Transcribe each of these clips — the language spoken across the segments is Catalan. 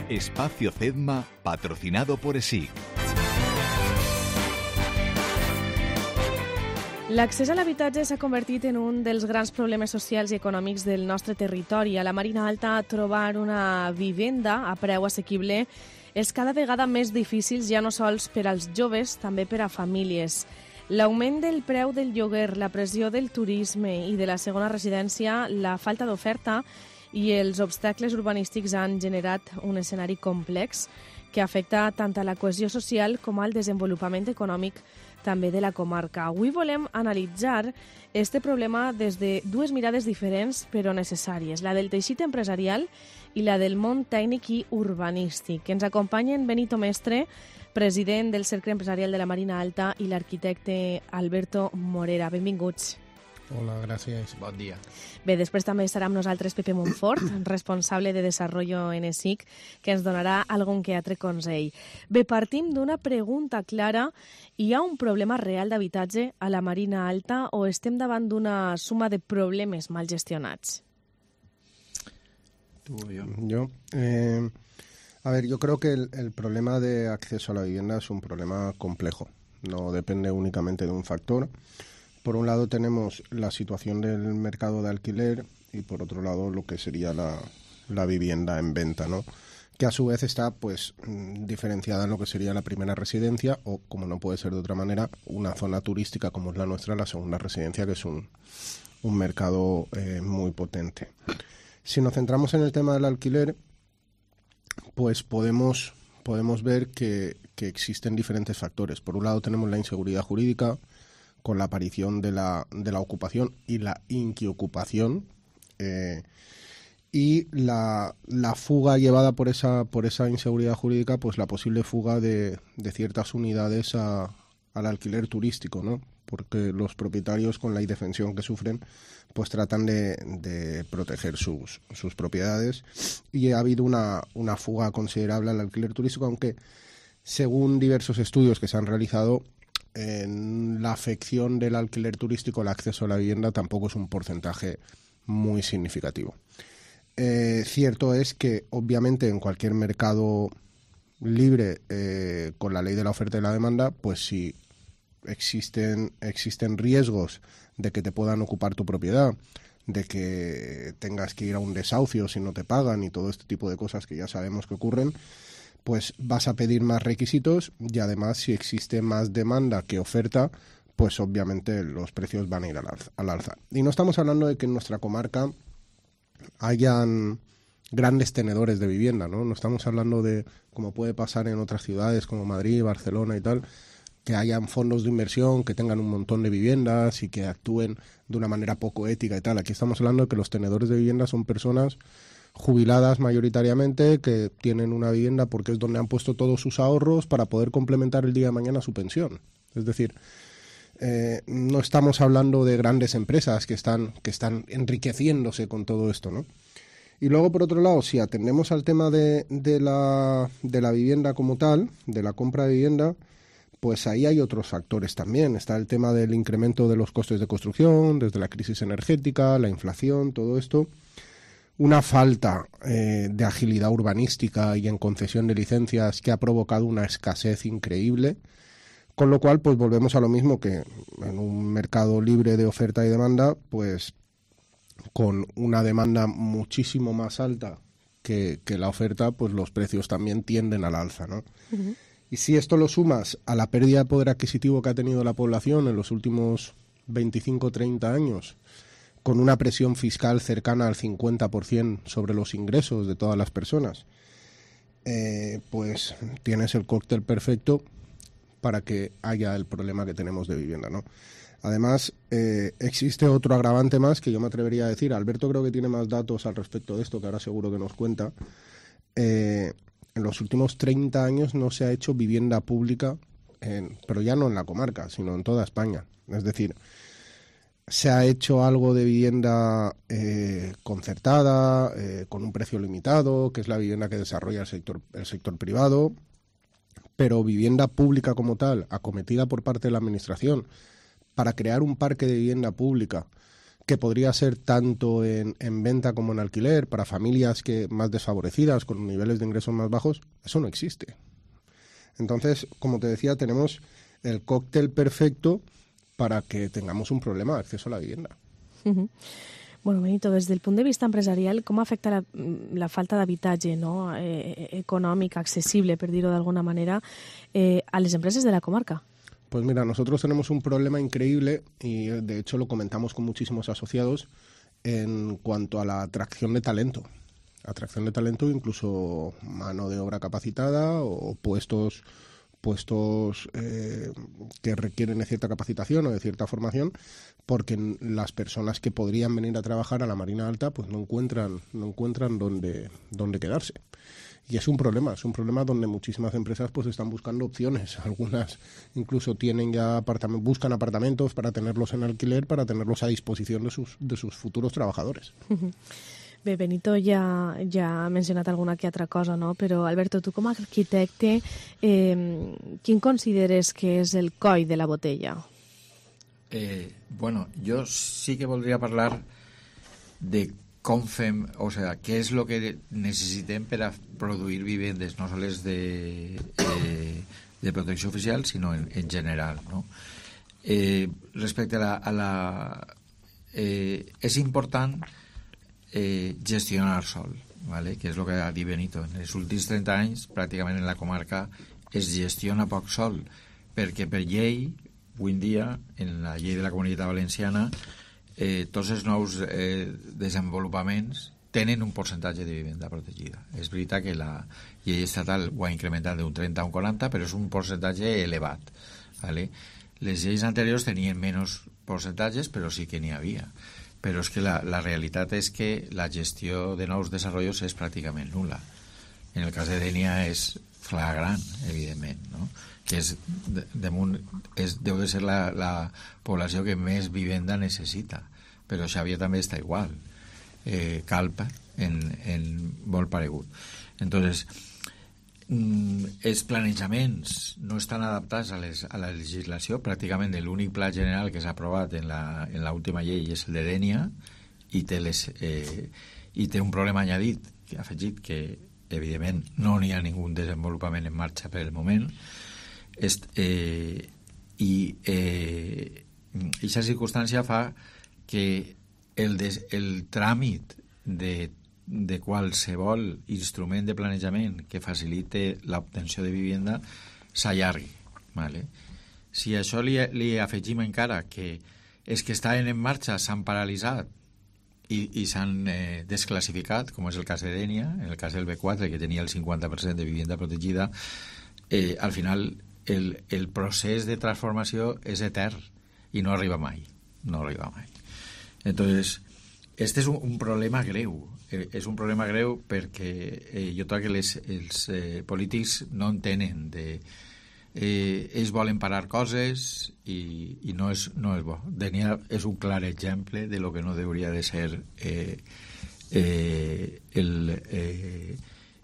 Espacio Cedma, patrocinado por ESIC. L'accés a l'habitatge s'ha convertit en un dels grans problemes socials i econòmics del nostre territori. A la Marina Alta, trobar una vivenda a preu assequible és cada vegada més difícil, ja no sols per als joves, també per a famílies. L'augment del preu del lloguer, la pressió del turisme i de la segona residència, la falta d'oferta i els obstacles urbanístics han generat un escenari complex que afecta tant a la cohesió social com al desenvolupament econòmic també de la comarca. Avui volem analitzar este problema des de dues mirades diferents però necessàries, la del teixit empresarial i la del món tècnic i urbanístic. Ens acompanyen Benito Mestre, president del Cercle Empresarial de la Marina Alta, i l'arquitecte Alberto Morera. Benvinguts. Hola, gràcies. Bon dia. Bé, després també estarà amb nosaltres Pepe Montfort, responsable de Desarrollo en ESIC, que ens donarà algun que altre consell. Bé, partim d'una pregunta clara. Hi ha un problema real d'habitatge a la Marina Alta o estem davant d'una suma de problemes mal gestionats? ¿Tú o yo? Yo, a ver, yo creo que el problema de acceso a la vivienda es un problema complejo. No depende únicamente de un factor. Por un lado tenemos la situación del mercado de alquiler y por otro lado lo que sería la vivienda en venta, ¿no? Que a su vez está pues diferenciada en lo que sería la primera residencia o, como no puede ser de otra manera, una zona turística como es la nuestra, la segunda residencia, que es un mercado muy potente. Si nos centramos en el tema del alquiler, pues podemos ver que existen diferentes factores. Por un lado tenemos la inseguridad jurídica, con la aparición de la ocupación y la inquiocupación, y la fuga llevada por esa inseguridad jurídica, pues la posible fuga de ciertas unidades al alquiler turístico, ¿no? Porque los propietarios, con la indefensión que sufren, pues tratan de proteger sus propiedades, y ha habido una fuga considerable al alquiler turístico, aunque según diversos estudios que se han realizado, en la afección del alquiler turístico al acceso a la vivienda tampoco es un porcentaje muy significativo. Cierto es que, obviamente, en cualquier mercado libre, con la ley de la oferta y la demanda, pues si existen riesgos de que te puedan ocupar tu propiedad, de que tengas que ir a un desahucio si no te pagan y todo este tipo de cosas que ya sabemos que ocurren, pues vas a pedir más requisitos, y además si existe más demanda que oferta, pues obviamente los precios van a ir al alza. Y no estamos hablando de que en nuestra comarca hayan grandes tenedores de vivienda, ¿no? No estamos hablando de, como puede pasar en otras ciudades como Madrid, Barcelona y tal, que hayan fondos de inversión que tengan un montón de viviendas y que actúen de una manera poco ética y tal. Aquí estamos hablando de que los tenedores de vivienda son personas jubiladas mayoritariamente, que tienen una vivienda porque es donde han puesto todos sus ahorros para poder complementar el día de mañana su pensión. Es decir, no estamos hablando de grandes empresas que están enriqueciéndose con todo esto, ¿no? Y luego, por otro lado, si atendemos al tema de la vivienda como tal, de la compra de vivienda, pues ahí hay otros factores también. Está el tema del incremento de los costes de construcción, desde la crisis energética, la inflación, todo esto. Una falta de agilidad urbanística y en concesión de licencias que ha provocado una escasez increíble, con lo cual pues volvemos a lo mismo, que en un mercado libre de oferta y demanda, pues con una demanda muchísimo más alta que la oferta, pues los precios también tienden al alza, ¿no? Uh-huh. Y si esto lo sumas a la pérdida de poder adquisitivo que ha tenido la población en los últimos 25-30 años, con una presión fiscal cercana al 50% sobre los ingresos de todas las personas, pues tienes el cóctel perfecto para que haya el problema que tenemos de vivienda, ¿no? Además, existe otro agravante más que yo me atrevería a decir. Alberto creo que tiene más datos al respecto de esto, que ahora seguro que nos cuenta. En los últimos 30 años no se ha hecho vivienda pública, pero ya no en la comarca, sino en toda España. Es decir, se ha hecho algo de vivienda concertada, con un precio limitado, que es la vivienda que desarrolla el sector privado, pero vivienda pública como tal, acometida por parte de la Administración, para crear un parque de vivienda pública que podría ser tanto en venta como en alquiler para familias más desfavorecidas, con niveles de ingresos más bajos, eso no existe. Entonces, como te decía, tenemos el cóctel perfecto para que tengamos un problema de acceso a la vivienda. Uh-huh. Bueno, Benito, des del punt de vista empresarial, com afecta la falta d'habitatge, no? Econòmic, accessible, per dir-ho d'alguna manera, a les empreses de la comarca? Pues mira, nosotros tenemos un problema increíble y de hecho lo comentamos con muchísimos asociados en cuanto a la atracción de talento. Atracción de talento, incluso mano de obra capacitada o puestos que requieren de cierta capacitación o de cierta formación, porque las personas que podrían venir a trabajar a la Marina Alta pues no encuentran dónde quedarse. Y es un problema donde muchísimas empresas pues están buscando opciones. Algunas incluso tienen ya buscan apartamentos para tenerlos en alquiler, para tenerlos a disposición de sus futuros trabajadores. Bé, Benito ja ha mencionat alguna que altra cosa, no? Però, Alberto, tu com a arquitecte, quin consideres que és el coll de la botella? Bueno, jo sí que voldria parlar de com fem, o sea, què és el que necessitem per a produir vivendes, no sols de protecció oficial, sinó en general, no? Respecte a la és important gestionar sol, ¿vale? Que és el que ha dit Benito. En els últims 30 anys, pràcticament en la comarca es gestiona poc sol, perquè per llei, avui en dia, en la llei de la Comunitat Valenciana, tots els nous desenvolupaments tenen un percentatge de vivenda protegida. És veritat que la llei estatal ho ha incrementat d'un 30 a un 40, però és un percentatge elevat, ¿vale? Les lleis anteriors tenien menys percentatges, però sí que n'hi havia. Però és que la realitat és que la gestió de nous desenvolupaments és pràcticament nul·la. En el cas de Dénia és flagrant, evidentment, no? Que deu de ser la població que més vivenda necessita, però Xàbia també està igual, Calp en molt paregut. Entonces, els planejaments no estan adaptats a la legislació. Pràcticament l'únic pla general que s'ha aprovat en l'última llei és el de Dénia i té un problema afegit que evidentment no n'hi ha ningú desenvolupament en marxa per el moment, i aquesta circumstància fa que el tràmit de qualsevol instrument de planejament que facilite l'obtenció de vivenda s'allargui, ¿vale? Si a això li afegim encara que els que estaven en marxa s'han paralitzat i s'han desclassificat, com és el cas de Dénia, en el cas del B4, que tenia el 50% de vivenda protegida, al final el procés de transformació és etern i no arriba mai. Entonces, este és un problema greu. És un problema greu perquè jo trobo que els polítics no entenen ells volen parar coses i no és bo. Dénia és un clar exemple de lo que no hauria de ser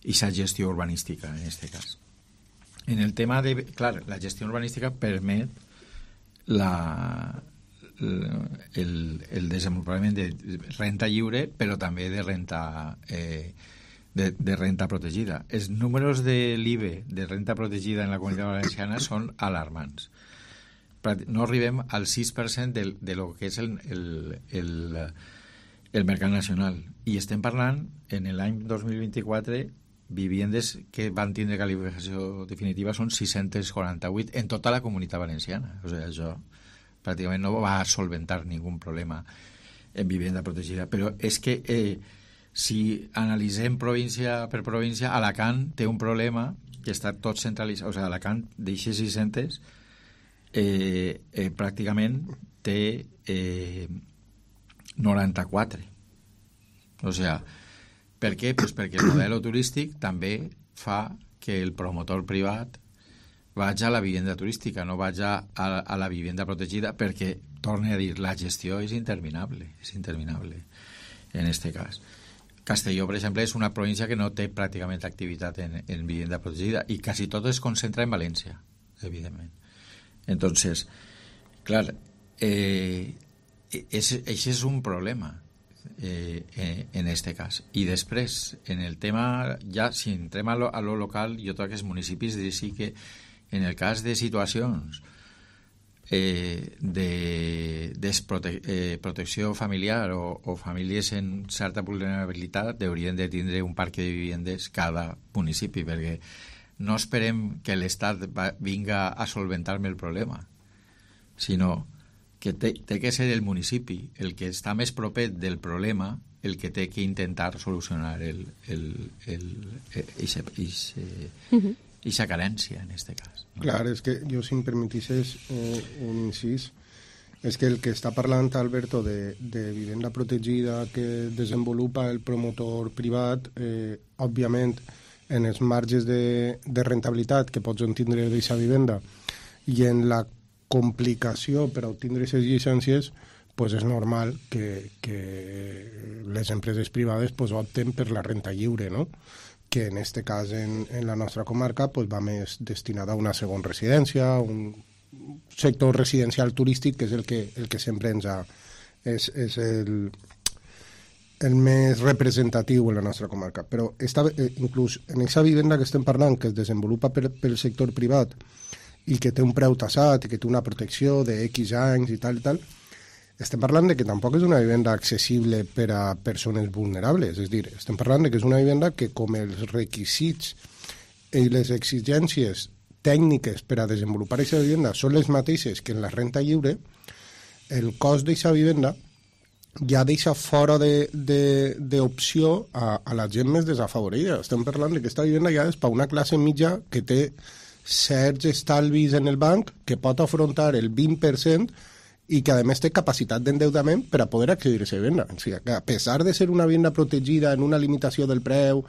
esa gestió urbanística en este cas. En el tema de... Clar, la gestió urbanística permet el desenvolupament de renta lliure, però també de renta protegida. Els números de l'IBE de renta protegida en la Comunitat Valenciana són alarmants. No arribem al 6% de lo que és el mercat nacional. I estem parlant, en l'any 2024, viviendes que van tindre qualificació definitiva són 648 en tota la Comunitat Valenciana. O sigui, això pràcticament no va solventar ningú problema en vivenda protegida. Però és que si analitzem província per província, Alacant té un problema que està tot centralitzat. O sigui, Alacant d'eixes 600 pràcticament té 94. O sigui, per què? Pues perquè el model turístic també fa que el promotor privat vagi a la vivenda turística, no vagi a la vivenda protegida, perquè, torne a dir, la gestió és interminable en este cas. Castelló, per exemple, és una província que no té pràcticament activitat en vivenda protegida i quasi tot es concentra en València, evidentment. Entonces, clar, Això és un problema en este cas. I després, en el tema, ja si entrem a lo local, jo crec que els municipis sí que en el cas de situacions de protecció familiar o famílies en certa vulnerabilitat haurien de tindre un parc de vivendes cada municipi, perquè no esperem que l'Estat vinga a solventar-me el problema, sinó que té que ser el municipi el que està més proper del problema, el que té que intentar solucionar eixa carència, en aquest cas. No? Clar, és que jo, si em permetisses un incís, és que el que està parlant Alberto de vivenda protegida que desenvolupa el promotor privat, òbviament, en els marges de rentabilitat que pots tindre d'aquesta vivenda i en la complicació per obtindre aquestes llicències, pues és normal que les empreses privades pues opten per la renta lliure, no? Que en este cas en la nostra comarca pues va més destinada a una segona residència, un sector residencial turístic, que és el que sempre ens ha... és el més representatiu en la nostra comarca. Però inclús en aquesta vivenda que estem parlant, que es desenvolupa pel sector privat i que té un preu tassat i que té una protecció de X anys i tal, estem parlant de que tampoc és una vivenda accessible per a persones vulnerables. És a dir, estem parlant de que és una vivenda que, com els requisits i les exigències tècniques per a desenvolupar aquesta vivenda són les mateixes que en la renta lliure, el cost d'aquesta vivenda ja deixa fora d'opció a la gent més desafavorida. Estem parlant que aquesta vivenda ja és per una classe mitja que té certs estalvis en el banc, que pot afrontar el 20% i que a més té capacitat d'endeutament per a poder accedir a aquesta vivenda. O sigui, que a pesar de ser una vivenda protegida en una limitació del preu,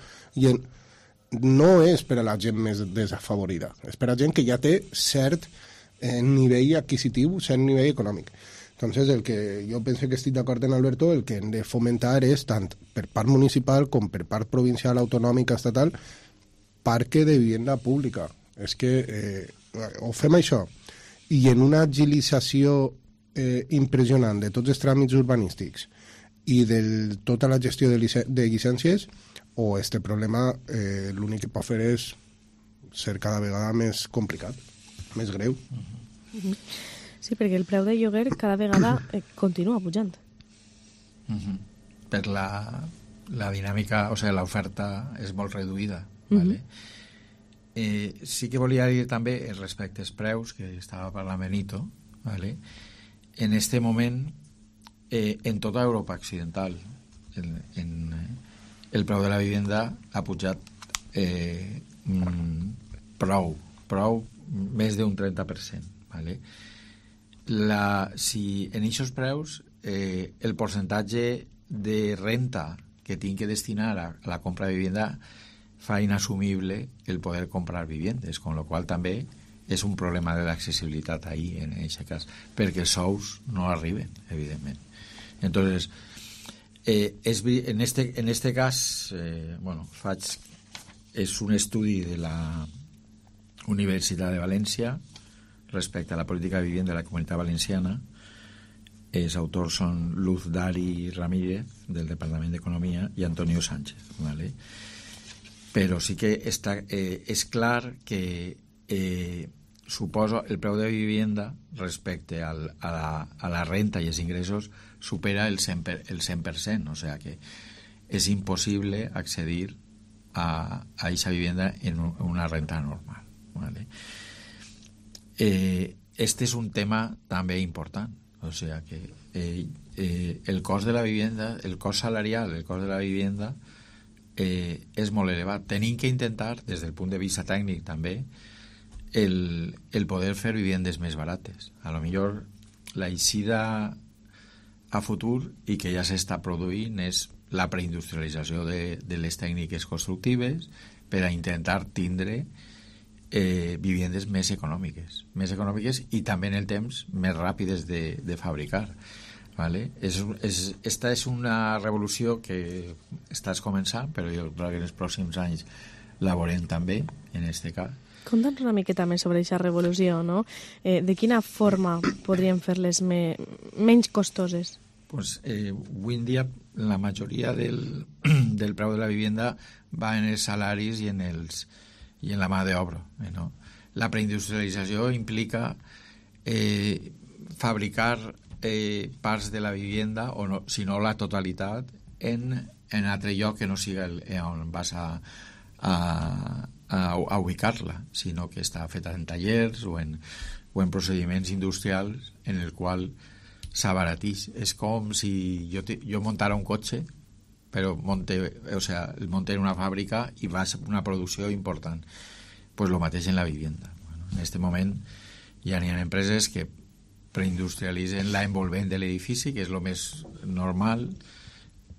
no és per a la gent més desafavorida, és per a gent que ja té cert nivell adquisitiu, cert nivell econòmic. Entonces, el que jo penso que estic d'acord en Alberto, el que hem de fomentar és, tant per part municipal com per part provincial, autonòmica, estatal, parque de vivenda pública. És que o fem això i en una agilització impressionant de tots els tràmits urbanístics i de tota la gestió de llicències, o este problema l'únic que pot fer és ser cada vegada més complicat, més greu. Sí, perquè el preu de lloguer cada vegada continua pujant. Per la dinàmica, o sigui, l'oferta és molt reduïda, ¿vale? Sí que volia dir també respecte als preus, que estava parlant Benito, ¿vale? En este moment, en tota Europa occidental, el preu de la vivenda ha pujat prou, més d'un 30%, ¿vale? Si en aquests preus el percentatge de renta que tinc que destinar a la compra de vivenda fa inassumible el poder comprar viviendes, con lo qual també és un problema de l'accessibilitat ahí, en aquest cas, perquè els sous no arriben, evidentment. Entonces, en este cas, és un estudi de la Universitat de València respecte a la política de vivienda de la Comunitat Valenciana. Els autors són Luz Dari Ramírez, del Departament d'Economia, i Antonio Sánchez, ¿vale? Però sí que és clar que suposo el preu de vivenda respecte a la renta i els ingressos supera el 100%, o sigui que és impossible accedir a aquesta vivenda en una renta normal, ¿vale? Este és un tema també important, o sigui que el cost de la vivenda, el cost salarial, el cost de la vivenda és molt elevat. Tenim que intentar, des del punt de vista tècnic també, el poder fer vivendes més barates. A lo millor la eixida a futur, i que ja s'està produint, és la preindustrialització de les tècniques constructives per a intentar tindre vivendes més econòmiques i també en el temps més ràpides de fabricar, ¿vale? Esta és una revolució que estàs començant, però jo crec que en els pròxims anys la veurem també, en aquest cas, Conta'ns una miqueta més sobre aquesta revolució, no? De quina forma podríem fer-les menys costoses? Pues, avui en dia la majoria del preu de la vivienda va en els salaris i en la mà d'obra, no? La preindustrialització implica fabricar parts de la vivienda, o no, si no la totalitat, en altre lloc que no siga on vas a ubicar-la, sinó que està feta en tallers o en procediments industrials en el qual s'abaratís. És com si jo montara un cotxe, però el monte en una fàbrica i va a una producció important. Pues lo mateix en la vivienda. Bueno, en este moment ja n'hi ha empreses que preindustrialitzen l'envolvent de l'edifici, que és el més normal,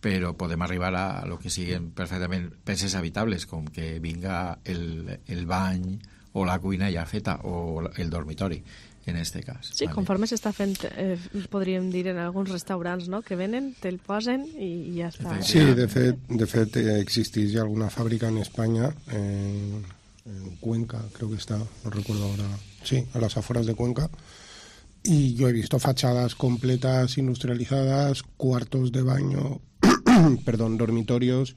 però podem arribar a lo que siguin perfectament peces habitables, com que vinga el bany o la cuina ja feta, o el dormitori, en este cas. Sí, vale. Conforme s'està fent, podríem dir, en alguns restaurants, no?, que venen, te'l posen i ja està. Sí, de fet existeix alguna fàbrica en Espanya, en Cuenca, creo que está, no recuerdo ahora, sí, a las afueras de Cuenca, y yo he visto fachadas completas industrializadas, cuartos de baño, dormitorios.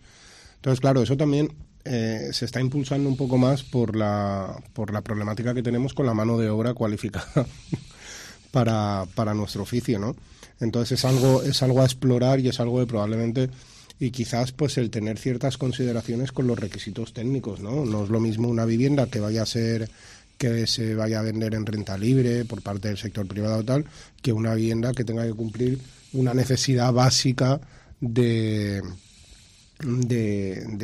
Entonces, claro, eso también se está impulsando un poco más por la problemática que tenemos con la mano de obra cualificada para nuestro oficio, ¿no? Entonces es algo a explorar y es algo de probablemente, y quizás pues el tener ciertas consideraciones con los requisitos técnicos, ¿no? No es lo mismo una vivienda que se vaya a vender en renta libre por parte del sector privado o tal, que una vivienda que tenga que cumplir una necesidad básica de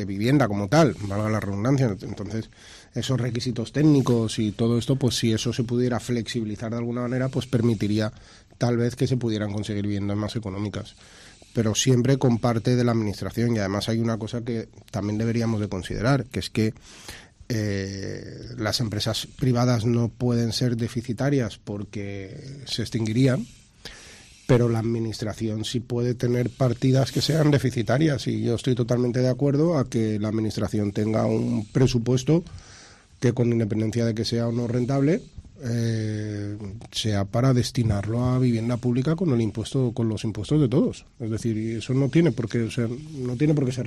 vivienda como tal, valga la redundancia. Entonces, esos requisitos técnicos y todo esto, pues si eso se pudiera flexibilizar de alguna manera, pues permitiría tal vez que se pudieran conseguir viviendas más económicas. Pero siempre con parte de la administración. Y además hay una cosa que también deberíamos de considerar, que es que las empresas privadas no pueden ser deficitarias porque se extinguirían, pero la administración sí puede tener partidas que sean deficitarias, y yo estoy totalmente de acuerdo a que la administración tenga un presupuesto que, con independencia de que sea o no rentable, sea para destinarlo a vivienda pública con los impuestos de todos. Es decir, eso no tiene por qué ser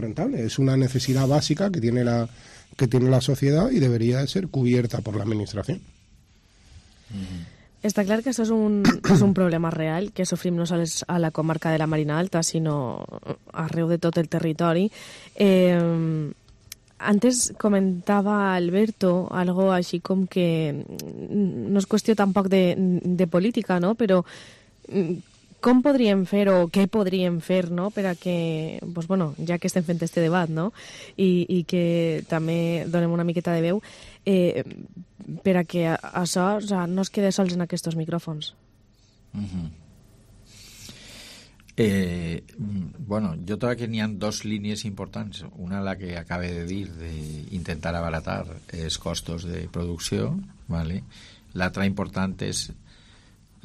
rentable, es una necesidad básica que tiene la sociedad y debería de ser cubierta por la administración. Està clar que això és un problema real que sofrim no sols a la comarca de la Marina Alta, sinó arreu de tot el territori. Antes comentava Alberto algo així com que no és qüestió tampoc de política, no? Però com podríem fer o què podríem fer, no?, per a que, doncs, bueno, ja que estem fent este debat, no?, i que també donem una miqueta de veu, per a que això, o sea, no es quede sols en aquests micròfons. Bueno, jo trobo que n'hi ha dos línies importants. Una, la que acabe de dir, d'intentar abaratar els costos de producció, ¿vale? L'altra important és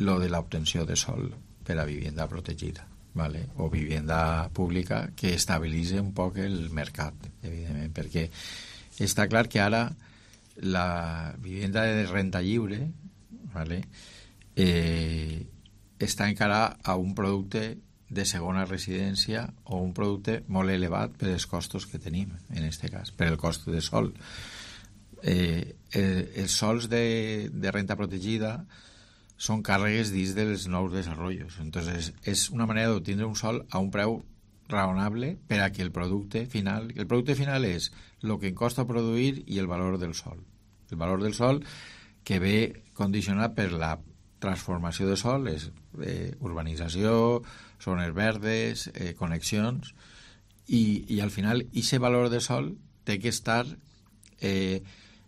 lo de l'obtenció de sòl per a vivienda protegida, ¿vale? O vivienda pública, que estabilitzi un poc el mercat, evidentment, perquè està clar que ara la vivienda de renta lliure, ¿vale?, està encara a un producte de segona residència o un producte molt elevat per els costos que tenim, en aquest cas, per el cost de sòl. Els sòls de renta protegida són càrregues dins dels nous desenvolupaments. Entonces, és una manera d'obtenir un sòl a un preu raonable per a que el producte final és el que em costa produir i el valor del sòl. El valor del sòl que ve condicionat per la transformació de sòl, és urbanització, zones verdes, connexions, i al final aquest valor de sòl té que estar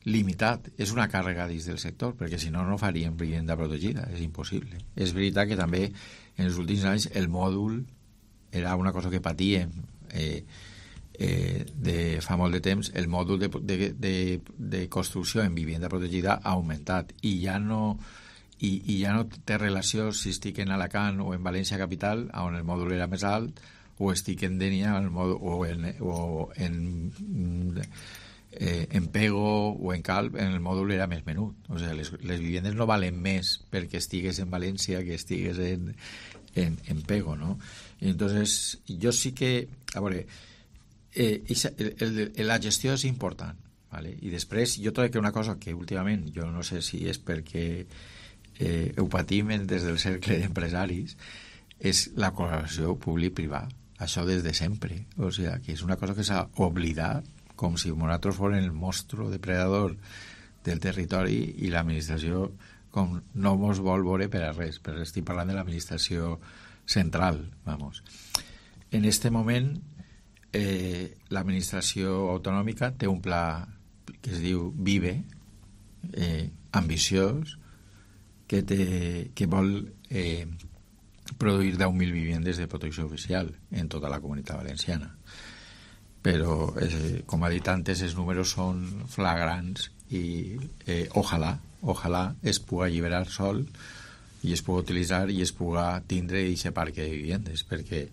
limitat. És una càrrega dins del sector, perquè si no, no faríem vivienda protegida, és impossible. És veritat que també en els últims anys el mòdul era una cosa que patíem de fa molt de temps. El mòdul de construcció en vivienda protegida ha augmentat i ja no té relació si estic en Alacant o en València capital, on el mòdul era més alt, o estic en Dénia o en Pego o en Calp en el mòdul era més menut. O sigui, les vivendes no valen més perquè estigues en València que estigues en Pego, no? I entonces, jo sí que... A veure, la gestió és important, ¿vale? I després jo crec que una cosa que últimament, jo no sé si és perquè ho patim des del cercle d'empresaris, és la col·laboració públic-privat. Això des de sempre. O sigui, que és una cosa que s'ha oblidat, com si nosaltres fos el monstru depredador del territori i l'administració com no mos vol veure per a res, però estic parlant de l'administració central, vamos. En este moment l'administració autonòmica té un pla que es diu VIVE, ambiciós, que vol produir 10.000 vivendes de protecció oficial en tota la comunitat valenciana. Però, com ha dit antes, els números són flagrants i ojalà es pugui alliberar sol i es pugui utilitzar i es pugui tindre aquest parc de vivendes, perquè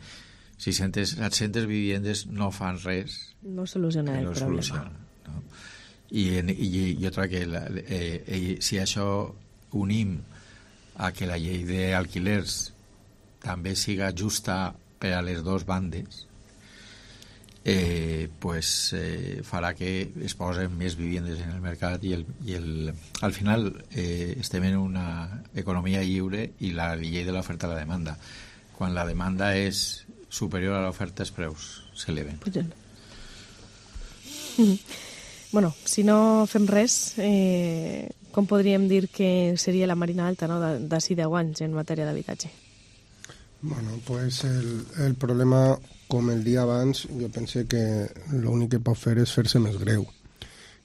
700 vivendes no fan res, no soluciona el problema. No? I jo crec que si això unim a que la llei d'alquilers també siga justa per a les dues bandes, farà que es posen més vivendes en el mercat i al final estem en una economia lliure i la llei de l'oferta i la demanda. Quan la demanda és superior a l'oferta, els preus s'eleven. Bueno, si no fem res, com podríem dir que seria la Marina Alta, no?, d'ací 10 anys en matèria d'habitatge? Bueno, pues el problema, com el dia abans, jo pense que l'únic que pot fer és fer-se més greu.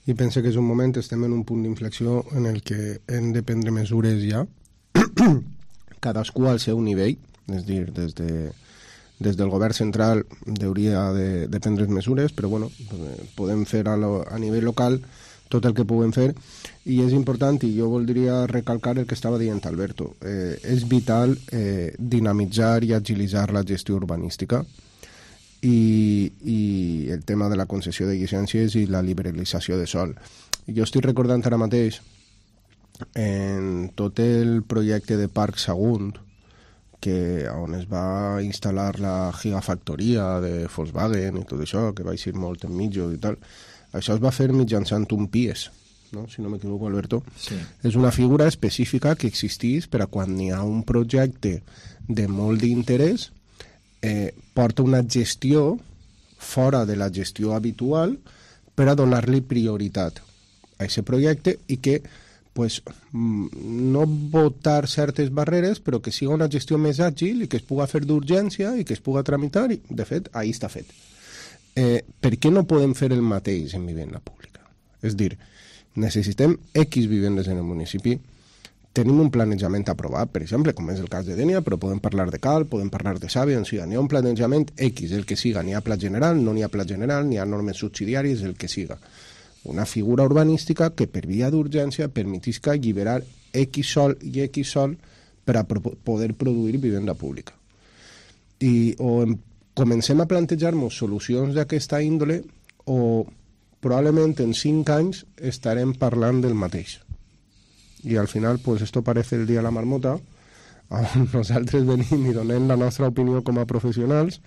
I pense que és un moment, estem en un punt d'inflexió en el que hem de prendre mesures ja, cadascú al seu nivell, és a dir, des del govern central hauria de prendre mesures, però bueno, podem fer a nivell local tot el que puguem fer, i és important, i jo voldria recalcar el que estava dient Alberto, és vital dinamitzar i agilitzar la gestió urbanística i el tema de la concessió de llicències i la liberalització de sòl. Jo estic recordant ara mateix en tot el projecte de Parc Sagunt, on es va instal·lar la gigafactoria de Volkswagen i tot això, que va ser molt en mitjos i tal. Això es va fer mitjançant un PIES, no? Si no m'equivoco, Alberto. Sí. És una figura específica que existeix per a quan hi ha un projecte de molt d'interès, porta una gestió fora de la gestió habitual per a donar-li prioritat a aquest projecte i que pues, no votar certes barreres, però que siga una gestió més àgil i que es pugui fer d'urgència i que es pugui tramitar, i de fet, ahí està fet. Per què no podem fer el mateix en vivenda pública? És dir, necessitem X vivendes en el municipi, tenim un planejament aprovat, per exemple, com és el cas de Dénia, però podem parlar de Calp, podem parlar de Sàvia, on sigui, n'hi ha un planejament X, el que siga, n'hi ha pla general, no n'hi ha pla general, n'hi ha normes subsidiàries, el que siga. Una figura urbanística que per via d'urgència permetisca alliberar X sol i X sol per a poder produir vivenda pública. Comencem a plantejar-nos solucions d'aquesta índole o probablement en 5 anys estarem parlant del mateix. I al final, pues esto parece el día de la marmota, on nosaltres venim i donem la nostra opinió com a professionals,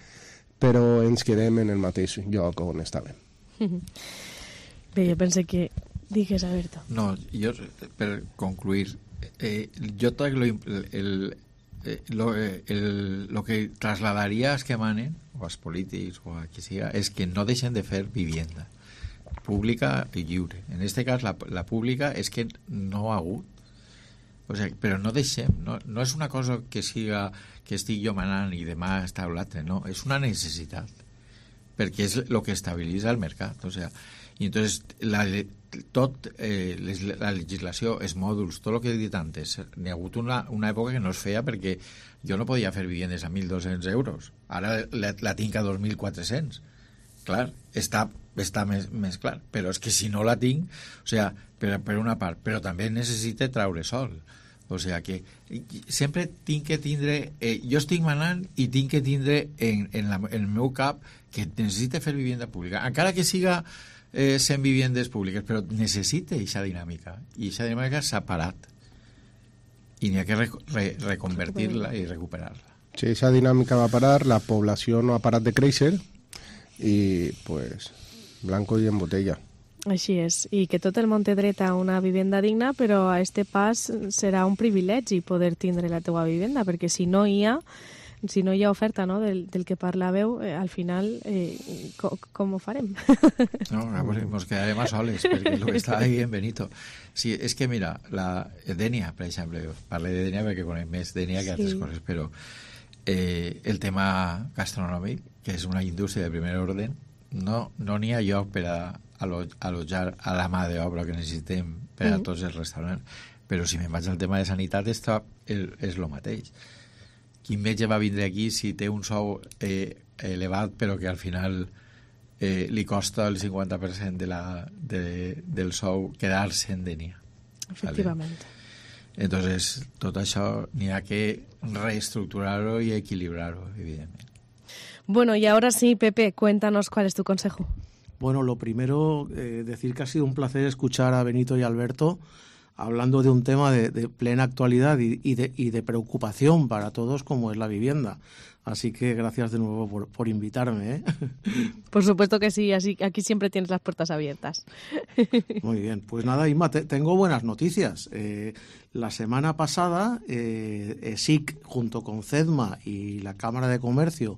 però ens quedem en el mateix lloc on estàvem. Bé, jo pense que... Digues, Alberto. No, jo, per concluir, jo crec lo que trasladaria als que manen, o als polítics, o a qui siga, és que no deixen de fer vivienda pública i lliure. En aquest cas, la pública és que no ha hagut. O sigui, però no deixem, no és una cosa que siga que estic jo manant i demà està l'altre, no, és una necessitat, perquè és el que estabilitza el mercat. O sigui, i entonces la legislació, els mòduls, tot el que he dit antes, n'hi ha hagut una època que no es feia perquè jo no podia fer vivendes a 1.200 euros, ara la tinc a 2.400. Clar, està més clar, però és que si no la tinc, o sigui, per una part, però també necessita traure sol. O sigui que sempre tinc que tindre, jo estic manant i tinc que tindre en el meu cap que necessita fer vivenda pública, encara que siga 100 viviendes públiques, però necessita aquesta dinàmica, i aquesta dinàmica s'ha parat i n'hi ha que reconvertir-la i recuperar-la. Sí, esa dinámica va a parar, la población no ha parat de créixer y pues blanco y en botella. Així és, i que tot el món té dret a una vivenda digna, però a este pas serà un privilegi poder tindre la teua vivenda, perquè si no hi ha oferta, no, del que parlàveu, al final, com ho farem? No, pues nos quedaremos soles, perquè el que està ahí en Benito. Sí, és que mira, la Dènia, per exemple, parlo de Dènia perquè conec més Dènia que altres coses, però el tema gastronòmic, que és una indústria de primer ordre, no n'hi ha lloc per a alojar a la mà d'obra que necessitem per a tots els restaurants. Però si me'n vaig al tema de sanitat, és el mateix. Quin metge va vindre aquí si té un sou elevat però que al final li costa el 50% del sou quedar-se en Dènia? Efectivament. Entonces, tot això n'hi ha que reestructurar-ho i equilibrar-ho, evidentment. Bueno, y ahora sí, Pepe, cuéntanos cuál es tu consejo. Bueno, lo primero, decir que ha sido un placer escuchar a Benito y Alberto hablando de un tema de plena actualidad y de preocupación para todos como es la vivienda. Así que gracias de nuevo por invitarme, ¿eh? Por supuesto que sí, así aquí siempre tienes las puertas abiertas. Muy bien, pues nada, Inma, tengo buenas noticias. La semana pasada, SIC junto con CEDMA y la Cámara de Comercio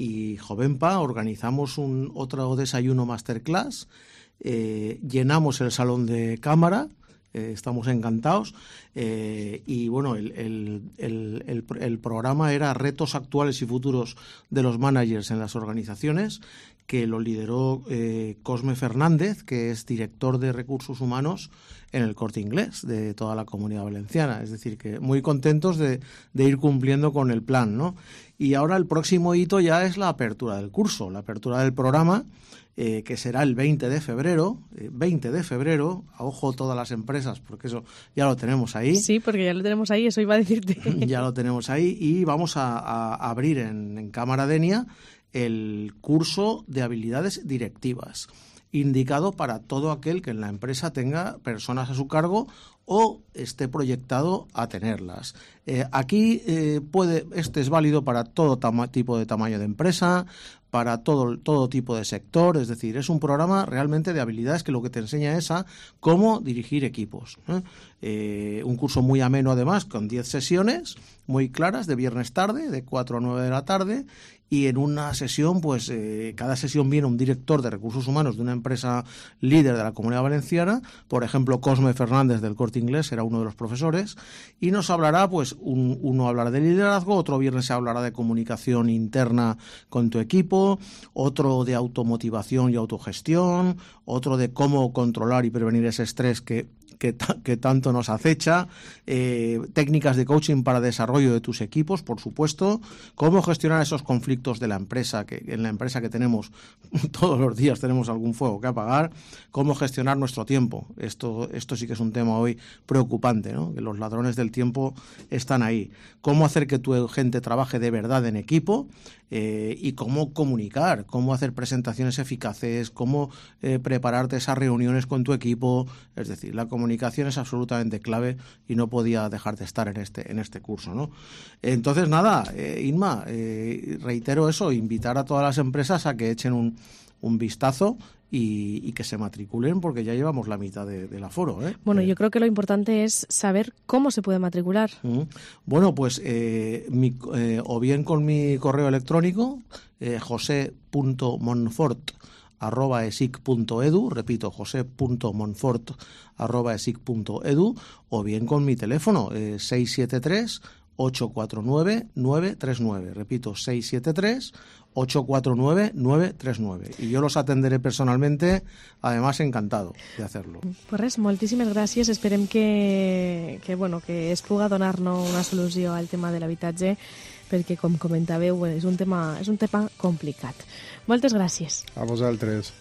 y Jovenpa organizamos otro desayuno masterclass, llenamos el salón de cámara, estamos encantados, y bueno, el programa era Retos actuales y futuros de los managers en las organizaciones, que lo lideró Cosme Fernández, que es director de recursos humanos en el Corte Inglés de toda la Comunidad Valenciana. Es decir, que muy contentos de ir cumpliendo con el plan, ¿no? Y ahora el próximo hito ya es la apertura del curso, la apertura del programa, que será el 20 de febrero, a ojo todas las empresas, porque eso ya lo tenemos ahí. Sí, porque ya lo tenemos ahí, eso iba a decirte. Ya lo tenemos ahí y vamos a abrir en Cámara Dènia el curso de habilidades directivas, indicado para todo aquel que en la empresa tenga personas a su cargo o esté proyectado a tenerlas. Aquí este es válido para todo tipo de tamaño de empresa, para todo tipo de sector, es decir, es un programa realmente de habilidades que lo que te enseña es a cómo dirigir equipos. Un curso muy ameno además, con 10 sesiones muy claras de viernes tarde, de 4 a 9 de la tarde, y en una sesión, pues cada sesión viene un director de recursos humanos de una empresa líder de la Comunidad Valenciana, por ejemplo, Cosme Fernández del Corte Inglés será uno de los profesores, y nos hablará, pues uno hablará de liderazgo, otro viernes se hablará de comunicación interna con tu equipo, otro de automotivación y autogestión, otro de cómo controlar y prevenir ese estrés que tanto nos acecha, técnicas de coaching para desarrollo de tus equipos, por supuesto, cómo gestionar esos conflictos de la empresa, que en la empresa que tenemos todos los días tenemos algún fuego que apagar, cómo gestionar nuestro tiempo. Esto sí que es un tema hoy preocupante, ¿no? Que los ladrones del tiempo están ahí. Cómo hacer que tu gente trabaje de verdad en equipo, y cómo comunicar, cómo hacer presentaciones eficaces, cómo prepararte esas reuniones con tu equipo. Es decir, la comunicación es absolutamente clave y no podía dejar de estar en este curso, ¿no? Entonces, nada, Inma, reitero eso, invitar a todas las empresas a que echen un vistazo y que se matriculen, porque ya llevamos la mitad del aforo, ¿eh? Bueno, yo creo que lo importante es saber cómo se puede matricular. Bueno, pues o bien con mi correo electrónico, jose.monfort@esic.edu, repito, jose.monfort@esic.edu, o bien con mi teléfono, 673-849-939. Repito, 673-849-939. Y yo los atenderé personalmente, además encantado de hacerlo. Pues res, moltíssimes gràcies. Esperem que es puga donar-nos una solució al tema de l'habitatge, perquè, com comentàveu, és un tema complicat. Moltes gràcies. A vosaltres.